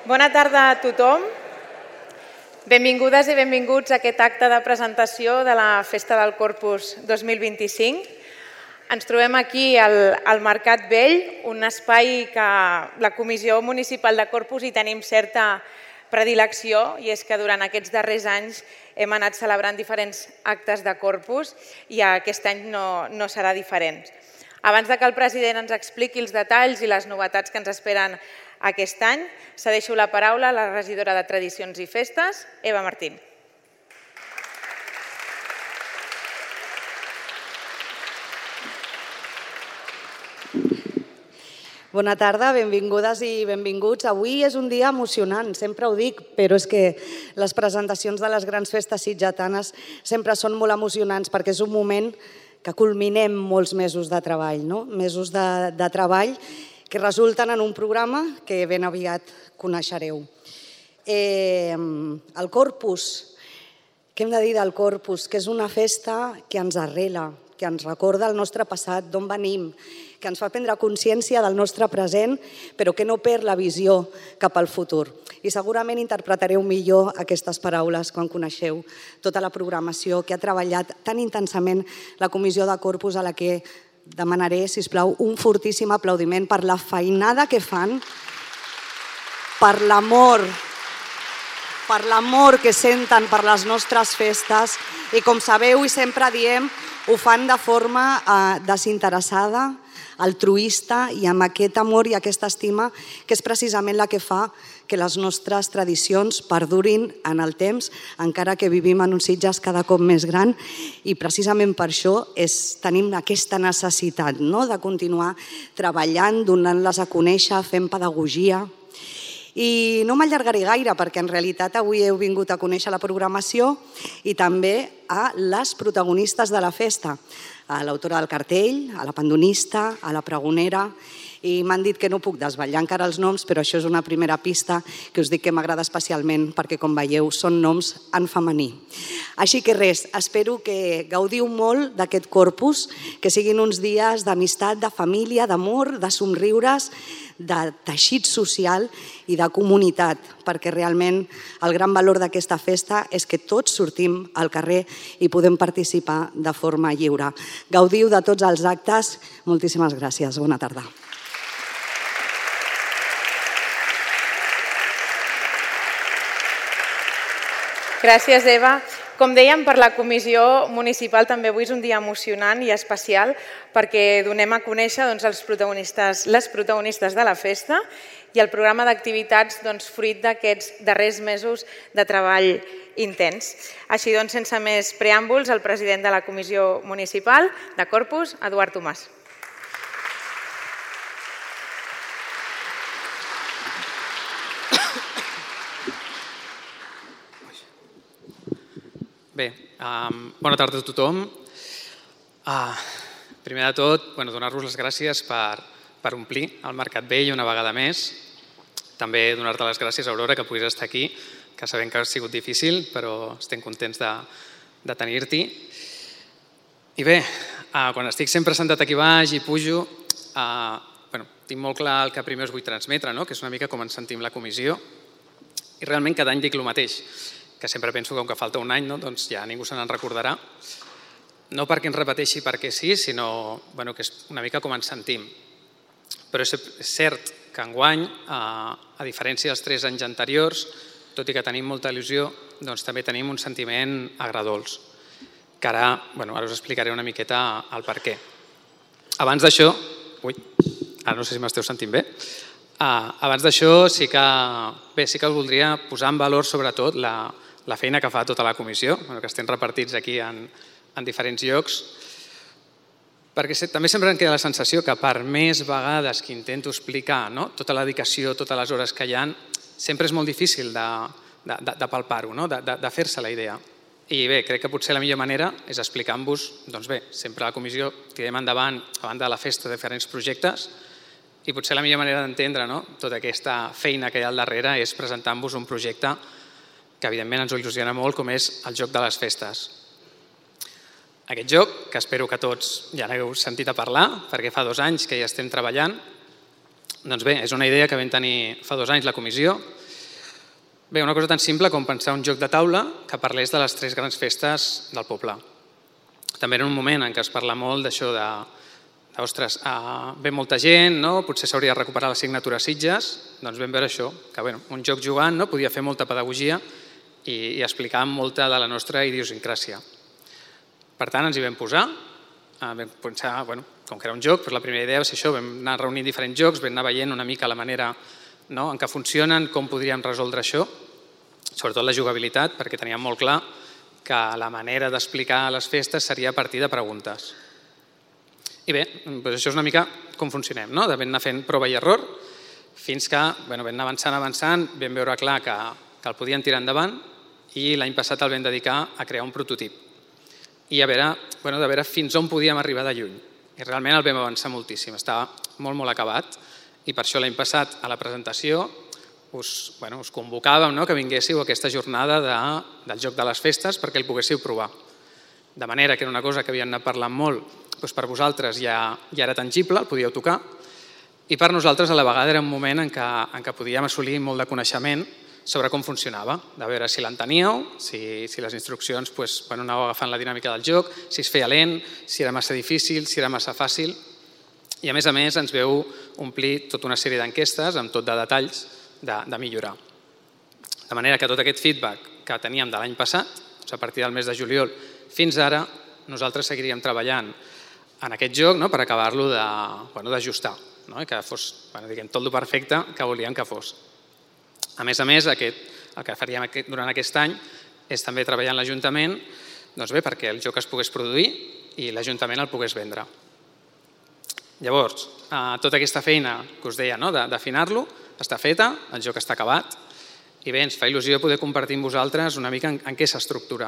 Bona tarda a tothom. Benvingudes i benvinguts a aquest acte de presentació de la Festa del Corpus 2025. Ens trobem aquí al Mercat Vell, un espai que la Comissió Municipal de Corpus hi tenim certa predilecció, i és que durant aquests darrers anys hem anat celebrant diferents actes de Corpus i aquest any no serà diferent. Abans que el president ens expliqui els detalls i les novetats que ens esperen aquest any, cedeixo la paraula a la regidora de Tradicions i Festes, Eva Martín. Bona tarda, benvingudes i benvinguts. Avui és un dia emocionant, sempre ho dic, però és que les presentacions de les grans festes sitgetanes sempre són molt emocionants perquè és un moment que culminem molts mesos de treball, mesos de treball que resulten en un programa que ben aviat coneixereu. El Corpus, què hem de dir del Corpus? Que és una festa que ens arrela, que ens recorda el nostre passat, d'on venim, que ens fa prendre consciència del nostre present, però que no perd la visió cap al futur. I segurament interpretareu millor aquestes paraules quan coneixeu tota la programació que ha treballat tan intensament la Comissió de Corpus, a la que demanaré, sisplau, un fortíssim aplaudiment per la feinada que fan, per l'amor que senten per les nostres festes i, com sabeu i sempre diem, ho fan de forma desinteressada, altruista i amb aquest amor i aquesta estima que és precisament la que fa que les nostres tradicions perdurin en el temps, encara que vivim en uns Sitges cada cop més gran, i precisament per això tenim aquesta necessitat de continuar treballant, donant-les a conèixer, fent pedagogia. I no m'allargaré gaire perquè en realitat avui heu vingut a conèixer la programació i també a les protagonistes de la festa, a l'autora del cartell, a la pandonista, a la pregonera, i m'han dit que no puc desvetllar encara els noms, però això és una primera pista que us dic que m'agrada especialment perquè, com veieu, són noms en femení. Així que res, espero que gaudiu molt d'aquest Corpus, que siguin uns dies d'amistat, de família, d'amor, de somriures, de teixit social i de comunitat, perquè realment el gran valor d'aquesta festa és que tots sortim al carrer i podem participar de forma lliure. Gaudiu de tots els actes. Moltíssimes gràcies. Bona tarda. Gràcies, Eva. Com dèiem, per la Comissió Municipal també avui és un dia emocionant i especial perquè donem a conèixer les protagonistes de la festa i el programa d'activitats fruit d'aquests darrers mesos de treball intens. Així doncs, sense més preàmbuls, el president de la Comissió Municipal de Corpus, Eduard Tomàs. Bé, bona tarda a tothom. Primer de tot, donar-vos les gràcies per omplir el Mercat Vell una vegada més. També donar-te les gràcies, Aurora, que puguis estar aquí, que sabem que ha sigut difícil, però estem contents de tenir-t'hi. I bé, quan estic sempre sentat aquí baix i pujo, tinc molt clar el que primer us vull transmetre, que és una mica com ens sentim la comissió. I realment cada any dic el mateix, que sempre penso que com que falta un any, doncs ja ningú se n'en recordarà. No perquè ens repeteixi perquè sí, sinó que és una mica com ens sentim. Però és cert que enguany, a diferència dels 3 anys anteriors, tot i que tenim molta il·lusió, doncs també tenim un sentiment agredolç, que ara us explicaré una miqueta el per què. Abans d'això, ara no sé si m'esteu sentint bé, abans d'això sí que us voldria posar en valor sobretot la feina que fa tota la comissió, que estem repartits aquí en diferents llocs, perquè també sempre em queda la sensació que per més vegades que intento explicar tota la dedicació, totes les hores que hi ha, sempre és molt difícil de palpar-ho, de fer-se la idea. I bé, crec que potser la millor manera és explicar-vos, sempre a la comissió tirem endavant, a banda de la festa, diferents projectes, i potser la millor manera d'entendre tota aquesta feina que hi ha al darrere és presentar-vos un projecte que evidentment ens il·lusiona molt, com és el Joc de les Festes. Aquest joc, que espero que tots ja n'heu sentit a parlar, perquè fa 2 anys que hi estem treballant, doncs bé, és una idea que vam tenir fa 2 anys la comissió Bé, una cosa tan simple com pensar un joc de taula que parlés de les 3 grans festes del poble. També era un moment en què es parla molt d'això de ostres, ve molta gent, potser s'hauria de recuperar l'assignatura Sitges, doncs vam veure això, que un joc jugant podia fer molta pedagogia i explicar molta de la nostra idiosincràsia. Per tant, ens hi vam posar, vam pensar, com que era un joc, la primera idea va ser això, vam anar reunint diferents jocs, vam anar veient una mica la manera en què funcionen, com podríem resoldre això, sobretot la jugabilitat, perquè teníem molt clar que la manera d'explicar les festes seria a partir de preguntes. I bé, això és una mica com funcionem, de vam anar fent prova i error, fins que vam anar avançant, vam veure clar que el podíem tirar endavant i l'any passat el vam dedicar a crear un prototip i a veure fins on podíem arribar de lluny. I realment el vam avançar moltíssim, estava molt, molt acabat i per això l'any passat a la presentació us convocàvem que vinguéssiu a aquesta jornada del Joc de les Festes perquè el poguéssiu provar. De manera que era una cosa que havíem anat parlant molt, per vosaltres ja era tangible, el podíeu tocar, i per nosaltres a la vegada era un moment en què podíem assolir molt de coneixement sobre com funcionava, de veure si l'enteníeu, si les instruccions anàveu agafant la dinàmica del joc, si es feia lent, si era massa difícil, si era massa fàcil, i a més ens veu omplir tota una sèrie d'enquestes amb tot de detalls de millorar. De manera que tot aquest feedback que teníem de l'any passat, a partir del mes de juliol fins ara, nosaltres seguiríem treballant en aquest joc per acabar-lo d'ajustar, que fos tot el perfecte que volíem que fos. A més, el que faríem durant aquest any és també treballar en l'Ajuntament perquè el joc es pogués produir i l'Ajuntament el pogués vendre. Llavors, tota aquesta feina que us deia d'afinar-lo està feta, el joc està acabat i bé, ens fa il·lusió poder compartir amb vosaltres una mica en què s'estructura.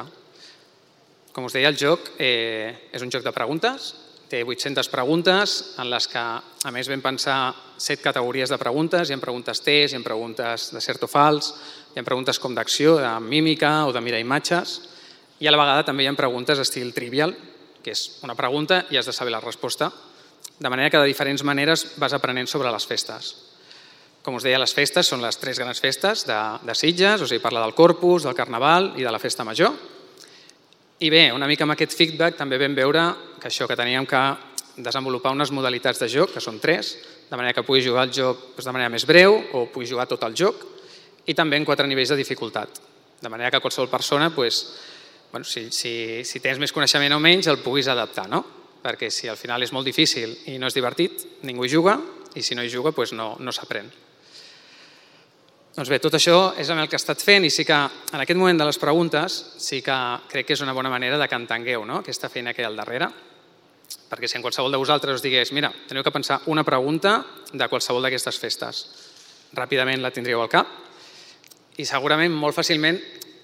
Com us deia, el joc és un joc de preguntes, té 800 preguntes en les que, a més, vam pensar 7 categories de preguntes. Hi ha preguntes test, hi ha preguntes de cert o fals, hi ha preguntes com d'acció, de mímica o de mirar imatges, i a la vegada també hi ha preguntes estil trivial, que és una pregunta i has de saber la resposta, de manera que de diferents maneres vas aprenent sobre les festes. Com us deia, les festes són les 3 grans festes de Sitges, o sigui, parla del Corpus, del Carnaval i de la Festa Major. I bé, una mica amb aquest feedback també vam veure que teníem que desenvolupar unes modalitats de joc, que són 3, de manera que puguis jugar el joc de manera més breu o puguis jugar tot el joc, i també en 4 nivells de dificultat, de manera que qualsevol persona, si tens més coneixement o menys, el puguis adaptar, perquè si al final és molt difícil i no és divertit, ningú hi juga, i si no hi juga, no s'aprèn. Doncs bé, tot això és el que he estat fent i sí que en aquest moment de les preguntes sí que crec que és una bona manera de que entengueu aquesta feina que hi ha al darrere, perquè si en qualsevol de vosaltres us digués mira, teniu que pensar una pregunta de qualsevol d'aquestes festes, ràpidament la tindríeu al cap i segurament molt fàcilment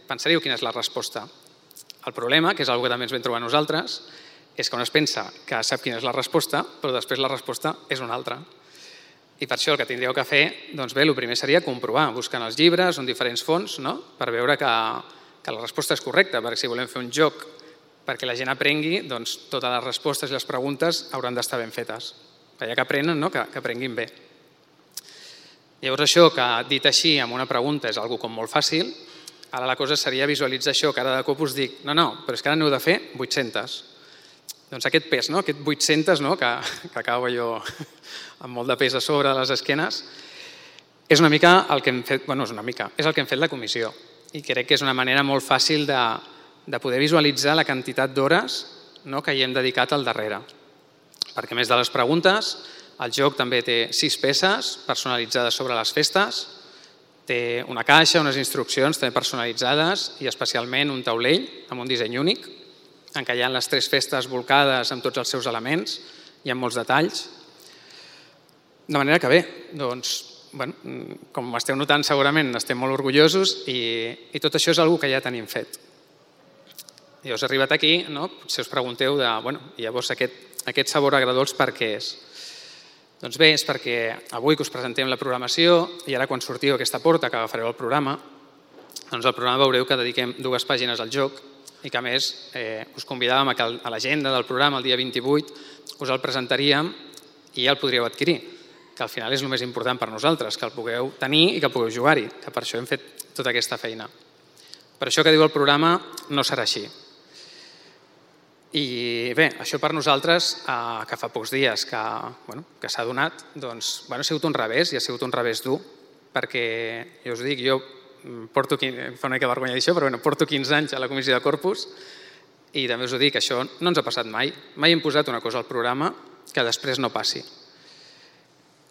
pensaríeu quina és la resposta. El problema, que és una cosa que també ens vam trobar nosaltres, és que un es pensa que sap quina és la resposta, però després la resposta és una altra. I per això el que tindríeu que fer, doncs bé, el primer seria comprovar, buscant els llibres o en diferents fonts, per veure que la resposta és correcta, perquè si volem fer un joc perquè la gent aprengui, doncs totes les respostes i les preguntes hauran d'estar ben fetes. Ja que aprenen, que aprenguin bé. Llavors això, que dit així amb una pregunta és una cosa com molt fàcil, ara la cosa seria visualitzar això, que ara de cop us dic, no, però és que ara n'heu de fer 800. Doncs aquest pes, aquest 800 que acabo jo amb molt de pes a sobre de les esquenes, és una mica el que hem fet, és el que hem fet la comissió i crec que és una manera molt fàcil de poder visualitzar la quantitat d'hores que hi hem dedicat al darrere. Perquè a més de les preguntes, el joc també té 6 peces personalitzades sobre les festes, té una caixa, unes instruccions també personalitzades i especialment un taulell amb un disseny únic, en què hi ha les 3 festes volcades amb tots els seus elements i amb molts detalls. De manera que bé, com esteu notant segurament estem molt orgullosos i tot això és una cosa que ja tenim fet. I us he arribat aquí, potser us pregunteu llavors aquest sabor agredolç per què és? Doncs bé, és perquè avui que us presentem la programació i ara quan sortiu a aquesta porta que agafareu el programa, doncs al programa veureu que dediquem 2 pàgines al joc i que a més us convidàvem a que a l'agenda del programa el dia 28 us el presentaríem i ja el podríeu adquirir. que al final és el més important per nosaltres, que el pugueu tenir i que pugueu jugar-hi, que per això hem fet tota aquesta feina. Per això que diu el programa no serà així. I bé, això per nosaltres, que fa pocs dies que s'ha donat, doncs ha sigut un revés i ha sigut un revés dur, perquè, ja us dic, jo porto, fa una mica vergonya dir això, però porto 15 anys a la Comissió de Corpus i també us ho dic, això no ens ha passat mai. Mai hem posat una cosa al programa que després no passi.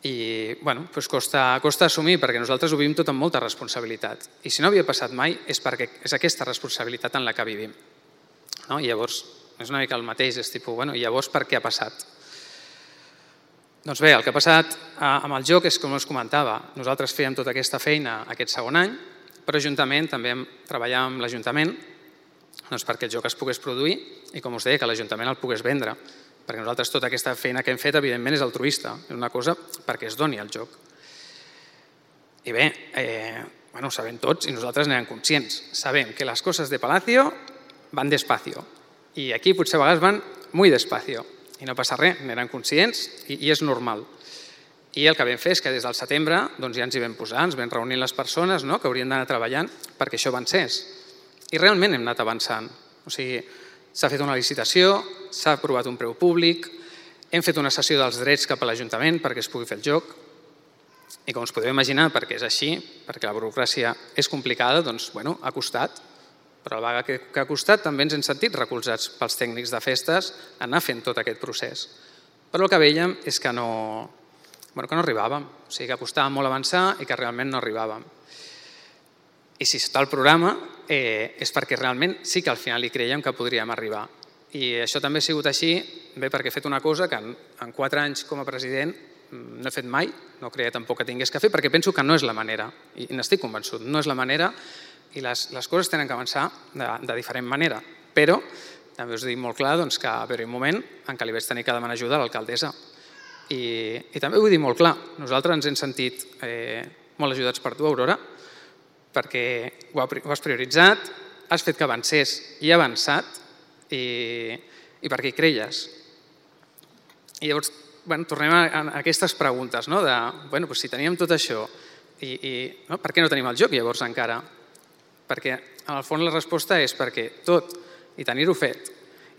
I doncs costa assumir, perquè nosaltres ho vivim tot amb molta responsabilitat. I si no havia passat mai és perquè és aquesta responsabilitat en la que vivim. I llavors és una mica el mateix, és tipus, i llavors per què ha passat? Doncs bé, el que ha passat amb el joc és com us comentava, nosaltres fèiem tota aquesta feina aquest segon any, però juntament també treballàvem amb l'Ajuntament perquè el joc es pogués produir i, com us deia, que l'Ajuntament el pogués vendre, perquè nosaltres tota aquesta feina que hem fet, evidentment, és altruista, és una cosa perquè es doni el joc. I bé, ho sabem tots i nosaltres n'érem conscients. Sabem que les coses de Palacio van despacio i aquí potser a vegades van muy despacio i no passa res, n'érem conscients i és normal. I el que vam fer és que des del setembre ja ens hi vam posar, ens vam reunir les persones que haurien d'anar treballant perquè això avancés. I realment hem anat avançant. O sigui, s'ha fet una licitació, s'ha aprovat un preu públic, hem fet una cessió dels drets cap a l'Ajuntament perquè es pugui fer el joc i, com us podeu imaginar, perquè és així, perquè la burocràcia és complicada, doncs, ha costat, però a la vegada que ha costat també ens hem sentit recolzats pels tècnics de festes a anar fent tot aquest procés. Però el que vèiem és que no arribàvem, o sigui que costava molt avançar i que realment no arribàvem. I si està al programa és perquè realment sí que al final hi creiem que podríem arribar. I això també ha sigut així, bé, perquè he fet una cosa que en 4 anys com a president no he fet mai, no creia tampoc que tingués que fer, perquè penso que no és la manera, i n'estic convençut, no és la manera i les coses tenen que avançar de diferent manera. Però també us dic molt clar que va haver-hi un moment en què li vaig tenir que demanar ajuda a l'alcaldessa. I també vull dir molt clar, nosaltres ens hem sentit molt ajudats per tu, Aurora, perquè ho has prioritzat, has fet que avancés i ha avançat i perquè hi creies. I llavors tornem a aquestes preguntes, de si teníem tot això, per què no tenim el joc llavors encara? Perquè en el fons la resposta és perquè tot i tenir-ho fet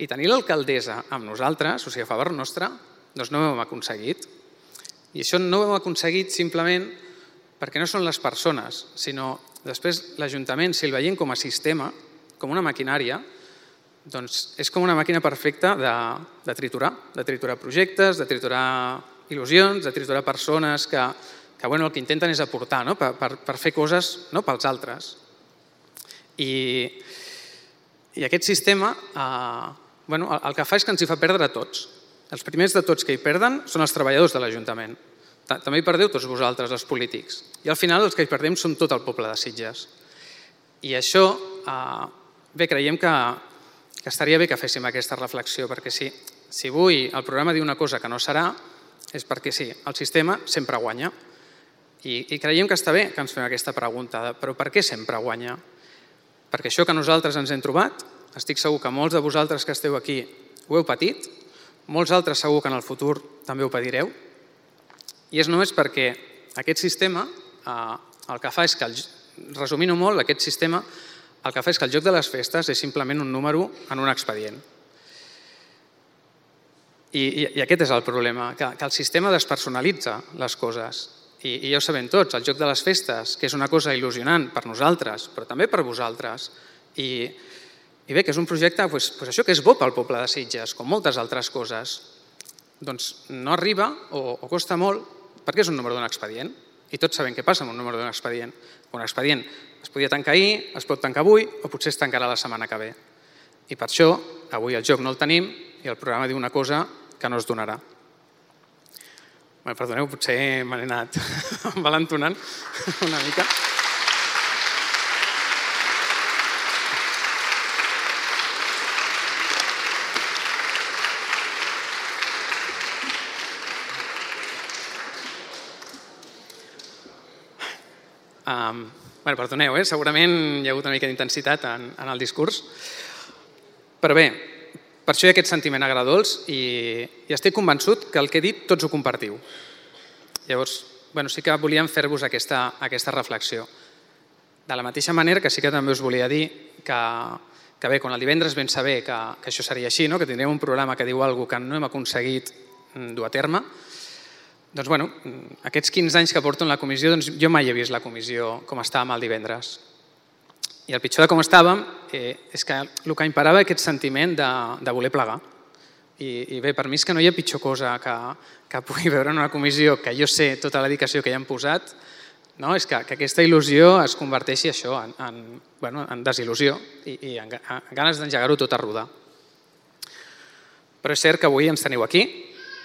i tenir l'alcaldessa amb nosaltres, o sigui, a favor nostre, doncs no ho hem aconseguit. I això no ho hem aconseguit simplement perquè no són les persones, sinó després l'Ajuntament, si el veiem com a sistema, com una maquinària, doncs és com una màquina perfecta de triturar projectes, de triturar il·lusions, de triturar persones que el que intenten és aportar per fer coses pels altres. I aquest sistema el que fa és que ens hi fa perdre a tots. Els primers de tots que hi perden són els treballadors de l'Ajuntament. També hi perdeu tots vosaltres, els polítics. I al final els que hi perdem som tot el poble de Sitges. I això, bé, creiem que estaria bé que féssim aquesta reflexió, perquè si avui el programa diu una cosa que no serà, és perquè sí, el sistema sempre guanya. I creiem que està bé que ens fem aquesta pregunta, però per què sempre guanya? Perquè això que nosaltres ens hem trobat, estic segur que molts de vosaltres que esteu aquí ho heu patit, molts altres segur que en el futur també ho patireu, i és només perquè aquest sistema el que fa és que, resumint-ho molt, aquest sistema el que fa és que el joc de les festes és simplement un número en un expedient. I aquest és el problema, que el sistema despersonalitza les coses. I ja ho sabem tots, el joc de les festes, que és una cosa il·lusionant per nosaltres, però també per vosaltres. I bé, que és un projecte, això que és bo pel poble de Sitges, com moltes altres coses, doncs no arriba o costa molt perquè és un número d'un expedient. I tots sabem què passa amb un número d'un expedient. Un expedient es podia tancar ahir, es pot tancar avui o potser es tancarà la setmana que ve. I per això avui el joc no el tenim i el programa diu una cosa que no es donarà. Perdoneu, potser me n'he anat envalentonant una mica. Perdoneu, segurament hi ha hagut una mica d'intensitat en el discurs, però bé, per això hi ha aquest sentiment agredolç i estic convençut que el que he dit tots ho compartiu. Llavors, sí que volíem fer-vos aquesta reflexió. De la mateixa manera que sí que també us volia dir que bé, quan el divendres vam saber que això seria així, que tindrem un programa que diu alguna cosa que no hem aconseguit dur a terme, doncs, aquests 15 anys que porto en la comissió, jo mai he vist la comissió com estàvem el divendres. I el pitjor de com estàvem és que el que imperava aquest sentiment de voler plegar. I bé, per mi és que no hi ha pitjor cosa que pugui veure en una comissió que jo sé tota la dedicació que hi han posat, és que aquesta il·lusió es converteixi això en desil·lusió i en ganes d'engegar-ho tot a rodar. Però és cert que avui ens teniu aquí,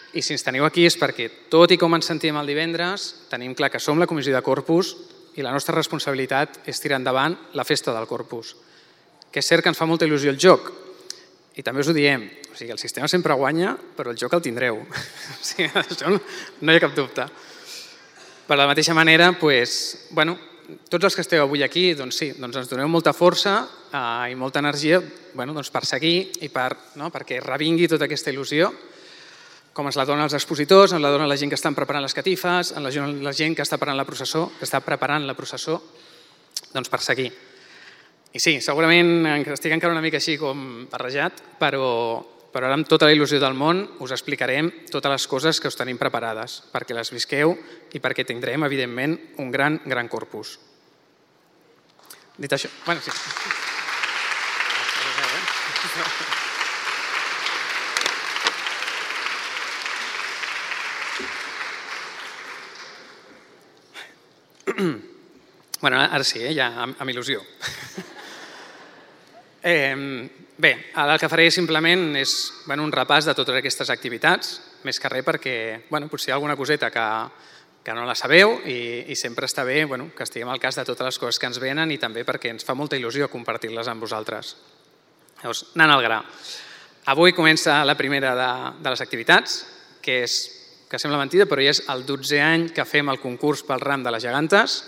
i si ens teniu aquí és perquè, tot i com ens sentim el divendres, tenim clar que som la comissió de Corpus i la nostra responsabilitat és tirar endavant la festa del Corpus. Que és cert que ens fa molta il·lusió el joc, i també us ho diem, el sistema sempre guanya, però el joc el tindreu. Això no hi ha cap dubte. Per la mateixa manera, tots els que esteu avui aquí, ens doneu molta força i molta energia per seguir i perquè revingui tota aquesta il·lusió, com ens la donen els expositors, ens la donen la gent que estan preparant les catifes, la gent que està preparant la processó, per seguir. I sí, segurament estic encara una mica així com barrejat, però ara amb tota la il·lusió del món us explicarem totes les coses que us tenim preparades, perquè les visqueu i perquè tindrem, evidentment, un gran corpus. Dit això... sí. Ara sí, ja amb il·lusió. Bé, ara el que faré simplement és un repàs de totes aquestes activitats, més que res perquè potser hi ha alguna coseta que no la sabeu i sempre està bé que estiguem al cas de totes les coses que ens venen i també perquè ens fa molta il·lusió compartir-les amb vosaltres. Llavors, anant al gra. Avui comença la primera de les activitats, que sembla mentida, però ja és el 12è any que fem el concurs pel ram de les gegantes,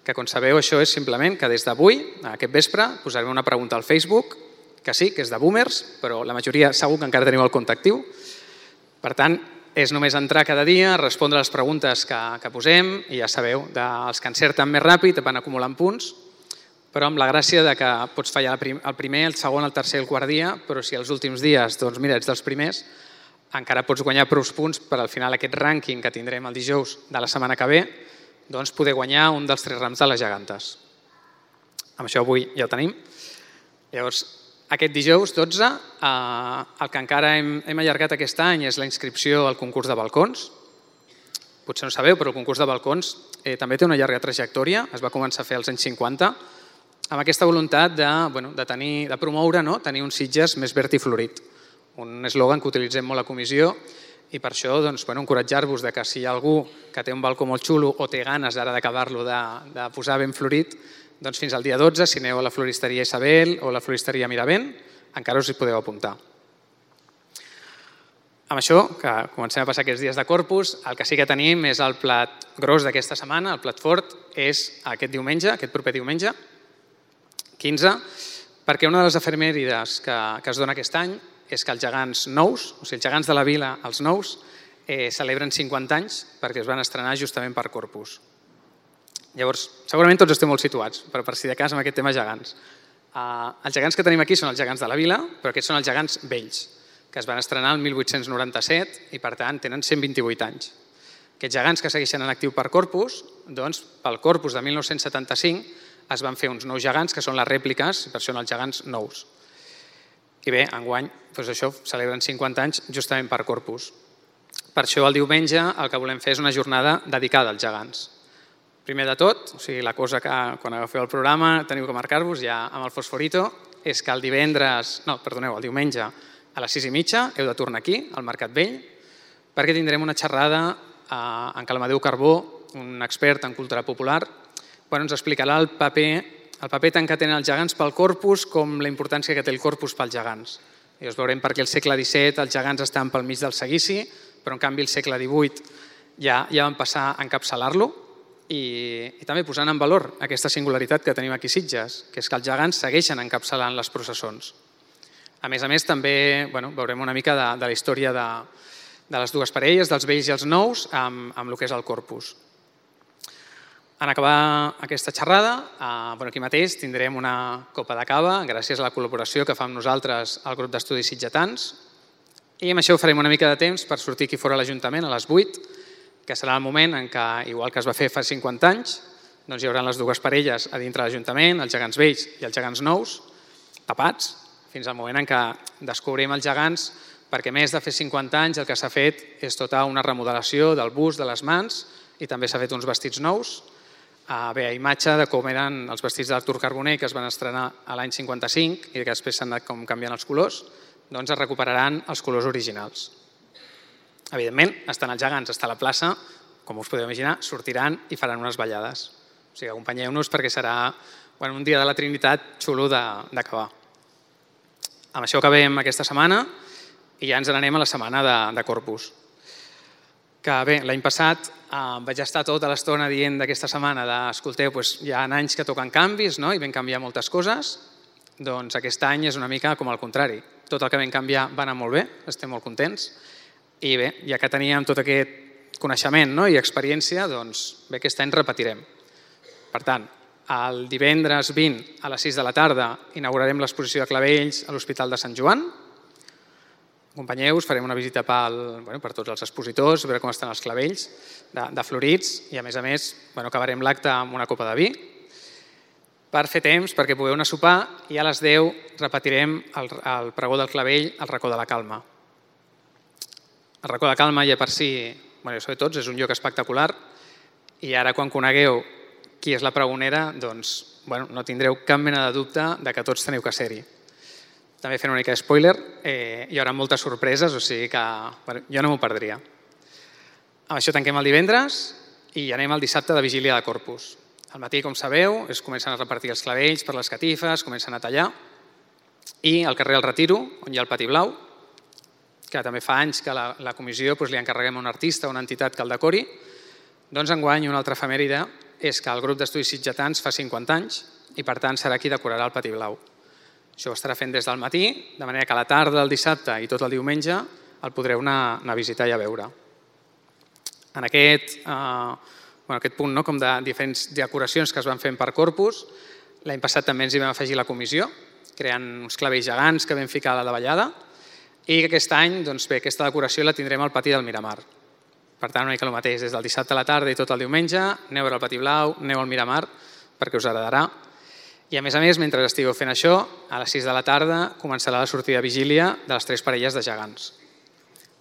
que com sabeu això és simplement que des d'avui, aquest vespre, posarem una pregunta al Facebook, que sí, que és de boomers, però la majoria segur que encara teniu el compte actiu. Per tant, és només entrar cada dia, respondre les preguntes que posem i ja sabeu, els que encerten més ràpid van acumulant punts, però amb la gràcia que pots fallar el primer, el segon, el tercer i el quart dia, però si els últims dies, ets dels primers, encara pots guanyar prou punts per al final aquest rànquing que tindrem el dijous de la setmana que ve, poder guanyar un dels 3 rams de les gegantes. Amb això avui ja ho tenim. Llavors, aquest dijous 12, el que encara hem allargat aquest any és la inscripció al concurs de balcons. Potser no sabeu, però el concurs de balcons també té una llarga trajectòria. Es va començar a fer als anys 50, amb aquesta voluntat de promoure, tenir un Sitges més verd i florit. Un eslògan que utilitzem molt a comissió i per això encoratjar-vos que si hi ha algú que té un balcó molt xulo o té ganes ara d'acabar-lo de posar ben florit, fins al dia 12, si aneu a la floristeria Isabel o a la floristeria Miravent, encara us hi podeu apuntar. Amb això, que comencem a passar aquests dies de Corpus, el que sí que tenim és el plat gros d'aquesta setmana, el plat fort, és aquest diumenge, aquest proper diumenge, 15, perquè una de les efemèrides que es dona aquest any és que els gegants nous, o sigui, els gegants de la vila, els nous, celebren 50 anys perquè es van estrenar justament per Corpus. Llavors, segurament tots esteu molt situats, però per si de cas amb aquest tema gegants. Els gegants que tenim aquí són els gegants de la vila, però aquests són els gegants vells, que es van estrenar el 1897 i per tant tenen 128 anys. Aquests gegants que segueixen en actiu per Corpus, doncs pel Corpus de 1975 es van fer uns nous gegants que són les rèpliques, per això són els gegants nous. I bé, enguany, això celebren 50 anys justament per Corpus. Per això el diumenge el que volem fer és una jornada dedicada als gegants. Primer de tot, la cosa que quan agafeu el programa teniu que marcar-vos ja amb el fosforito, és que el diumenge a les 6:30 heu de tornar aquí, al Mercat Vell, perquè tindrem una xerrada en què l'Amadeu Carbó, un expert en cultura popular, ens explicarà el paper tant que tenen els gegants pel Corpus com la importància que té el Corpus pels gegants. Llavors veurem per què al segle XVII els gegants estan pel mig del seguici, però en canvi al segle XVIII ja van passar a encapçalar-lo i també posant en valor aquesta singularitat que tenim aquí a Sitges, que és que els gegants segueixen encapçalant les processons. A més, també veurem una mica de la història de les dues parelles, dels vells i els nous, amb el que és el corpus. En acabar aquesta xerrada, aquí mateix tindrem una copa de cava, gràcies a la col·laboració que fa amb nosaltres el grup d'estudis sitgetans, i amb això farem una mica de temps per sortir aquí fora a l'Ajuntament a les 8, que serà el moment en què, igual que es va fer fa 50 anys, doncs hi haurà les dues parelles a dintre de l'Ajuntament, els gegants vells i els gegants nous, tapats, fins al moment en què descobrim els gegants, perquè més de fer 50 anys el que s'ha fet és tota una remodelació del bust, de les mans, i també s'ha fet uns vestits nous. Bé, a imatge de com eren els vestits d'Artur Carboner, que es van estrenar a l'any 55 i que després s'han anat canviant els colors, doncs es recuperaran els colors originals. Evidentment, estan els gegants, està a la plaça, com us podeu imaginar, sortiran i faran unes ballades. O sigui, acompanyeu-nos perquè serà un dia de la Trinitat xulo d'acabar. Amb això acabem aquesta setmana i ja ens n'anem a la setmana de Corpus. Que bé, l'any passat vaig estar tota l'estona dient d'aquesta setmana escolteu, hi ha anys que toquen canvis i vam canviar moltes coses, doncs aquest any és una mica com al contrari. Tot el que vam canviar va anar molt bé, estem molt contents, i bé, ja que teníem tot aquest coneixement i experiència, doncs bé, aquest any repetirem. Per tant, el divendres 20 a les 6 de la tarda inaugurarem l'exposició de clavells a l'Hospital de Sant Joan. Acompanyeu-vos, farem una visita per tots els expositors, veure com estan els clavells de florits i a més acabarem l'acte amb una copa de vi per fer temps perquè pugueu anar a sopar i a les 10 repetirem el pregó del clavell al racó de la Calma. El racó de la Calma ja per si, ja ho sabeu tots, és un lloc espectacular i ara quan conegueu qui és la pregonera, doncs no tindreu cap mena de dubte que tots teniu que ser-hi. També fent una mica de spoiler, hi haurà moltes sorpreses, o sigui que jo no m'ho perdria. Amb això tanquem el divendres i anem al dissabte de Vigília de Corpus. Al matí, com sabeu, es comencen a repartir els clavells per les catifes, comencen a tallar i al carrer del Retiro, on hi ha el Pati Blau, que també fa anys que la comissió li encarreguem a un artista o una entitat que el decori, doncs enguany una altra efemèride és que el grup d'estudis sitgetans fa 50 anys i per tant serà qui decorarà el Pati Blau. Això ho estarà fent des del matí, de manera que a la tarda del dissabte i tot el diumenge el podreu anar a visitar i a veure. En aquest punt com de diferents decoracions que es van fent per Corpus, l'any passat també ens hi vam afegir la comissió, creant uns clavells gegants que vam ficar a la davallada i aquest any aquesta decoració la tindrem al pati del Miramar. Per tant, una mica el mateix, des del dissabte a la tarda i tot el diumenge, aneu a veure el Pati Blau, aneu al Miramar, perquè us agradarà. I a més, mentre estigueu fent això, a les 6 de la tarda començarà la sortida de vigília de les 3 parelles de gegants.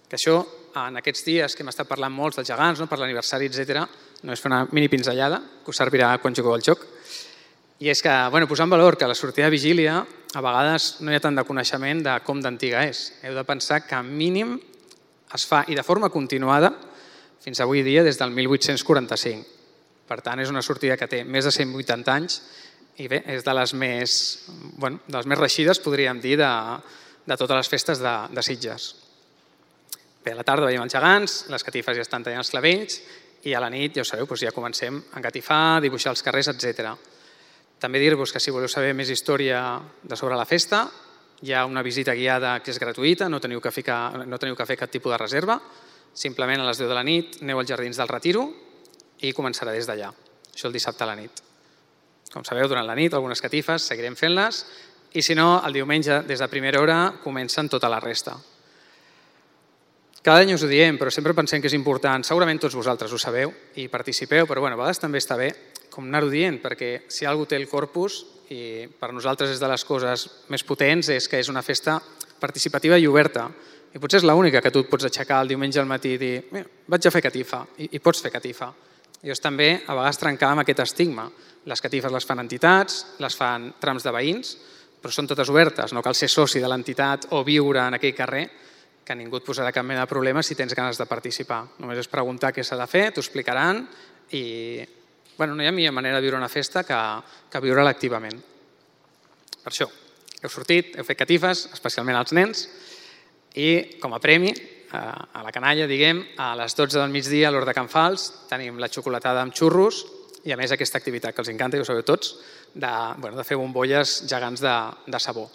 Que això, en aquests dies que hem estat parlant molts dels gegants, per l'aniversari, etc., no és fer una mini pinzellada, que us servirà quan jugueu al joc. I és que, posar en valor que la sortida de vigília, a vegades no hi ha tant de coneixement de com d'antiga és. Heu de pensar que mínim es fa, i de forma continuada, fins avui dia, des del 1845. Per tant, és una sortida que té més de 180 anys i bé, és de les més reeixides, podríem dir, de totes les festes de Sitges. Bé, a la tarda veiem els gegants, les catifes ja estan tallant els clavells i a la nit, ja ho sabeu, ja comencem a engatifar, dibuixar els carrers, etc. També dir-vos que si voleu saber més història sobre la festa, hi ha una visita guiada que és gratuïta, no teniu que fer cap tipus de reserva, simplement a les 10 de la nit aneu als Jardins del Retiro i començarà des d'allà. Això el dissabte a la nit. Com sabeu, durant la nit, algunes catifes, seguirem fent-les i si no, el diumenge, des de primera hora, comencen tota la resta. Cada any us ho diem, però sempre pensem que és important. Segurament tots vosaltres ho sabeu i participeu, però a vegades també està bé com anar-ho dient, perquè si algú té el Corpus, i per nosaltres és de les coses més potents, és que és una festa participativa i oberta. I potser és l'única que tu et pots aixecar el diumenge al matí i dir vaig a fer catifa, i pots fer catifa. I és també a vegades trencar amb aquest estigma. Les catifes les fan entitats, les fan trams de veïns, però són totes obertes. No cal ser soci de l'entitat o viure en aquell carrer, que ningú et posarà cap mena de problema si tens ganes de participar. Només és preguntar què s'ha de fer, t'ho explicaran i no hi ha millor manera de viure una festa que viure-la activament. Per això, heu sortit, heu fet catifes, especialment als nens, i com a premi, a la canalla, diguem, a les 12 del migdia a l'Hort de Can Fals tenim la xocolatada amb xurros i a més aquesta activitat que els encanta, ja ho sabeu tots, de fer bombolles gegants de sabó.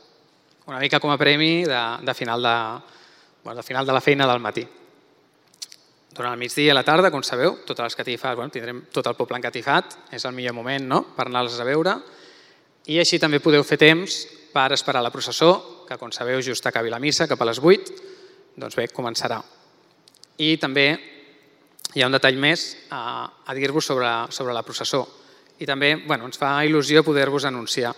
Una mica com a premi de final de la feina del matí. Durant el migdia i a la tarda, com sabeu, totes les catifes, tindrem tot el poble encatifat, és el millor moment per anar-les a veure, i així també podeu fer temps per esperar la processó, que com sabeu just acabi la missa, cap a les 8, doncs bé, començarà. I també hi ha un detall més a dir-vos sobre la processó. I també ens fa il·lusió poder-vos anunciar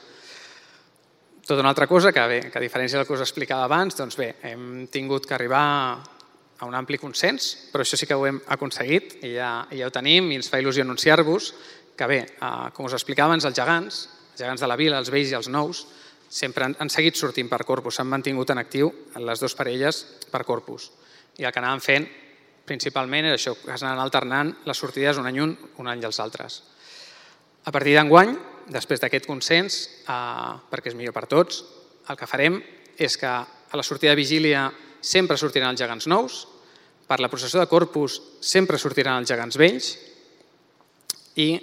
tota una altra cosa que, a diferència del que us explicava abans, doncs bé, hem tingut que arribar a un ampli consens, però això sí que ho hem aconseguit i ja ho tenim i ens fa il·lusió anunciar-vos que bé, com us explicava abans, els gegants de la vila, els vells i els nous, sempre han seguit sortint per Corpus, s'han mantingut en actiu les dues parelles per Corpus. I el que anàvem fent principalment era això, que s'anaven alternant les sortides un any els altres. A partir d'enguany, després d'aquest consens, perquè és millor per tots, el que farem és que a la sortida de vigília sempre sortiran els gegants nous, per la processó de Corpus sempre sortiran els gegants vells i